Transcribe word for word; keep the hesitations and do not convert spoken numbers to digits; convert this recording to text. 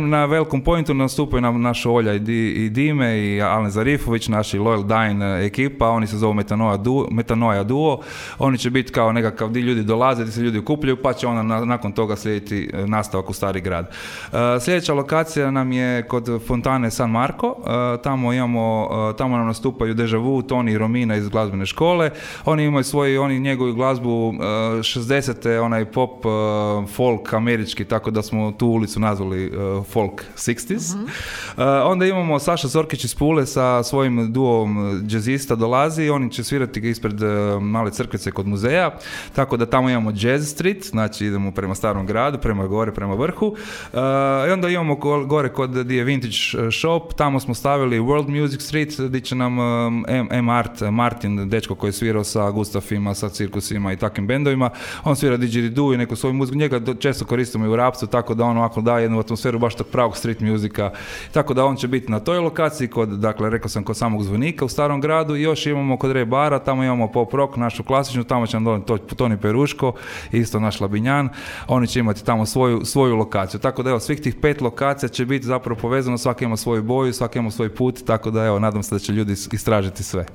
na Welcome Pointu nastupaju nam naša Olja i, Di, i Dime i Alen Zarifović, naši Loyal Dine ekipa, oni se zovu Metanoia Duo, Metanoia Duo. Oni će biti kao nekakav di ljudi dolaze, di se ljudi okupljaju, pa će onda na, nakon toga slijediti nastavak u Stari grad. Uh, sljedeća lokacija nam je kod Fontane San Marco, uh, tamo imamo, uh, tamo nam nastupaju Deja Vu, Toni i Romina iz glazbene škole. Oni imaju svoju, oni njegovu glazbu uh, šezdesete, onaj pop, uh, folk američki, tako da smo tu ulicu nazvali uh, folk šezdeset. Mm-hmm. Uh, onda imamo Saša Zorkić iz Pule sa svojim duom džezista dolazi, oni će svirati ispred uh, male crkvice kod muzeja, tako da tamo imamo Jazz Street, znači idemo prema Starom gradu, prema gore, prema vrhu. Uh, I onda imamo gore kod di je Vintage Shop, tamo smo stavili World Music Street, gdje će nam um, M. M. Art, Martin, dečko koji je svirao sa Gustafima, sa cirkusima i takvim bendovima, on svira didgeridoo i neku svoju muziku, njega često koristimo i u rapcu, tako da on ovako daje jednu atmosferu baš tog pravog street muzika, tako da on će biti na toj lokaciji, kod, dakle, rekao sam, kod samog zvonika u Starom gradu. I još imamo kod Re bara, tamo imamo pop rock, našu klasičnu, tamo će nam donijeti Toni Peruško, isto naš Labinjan, oni će imati tamo svoju, svoju lokaciju, tako da evo, svih tih pet lokacija će biti zapravo povezano, svaki ima svoju boju, svaki ima svoj put, tako da evo, nadam se da će ljudi istražiti sve.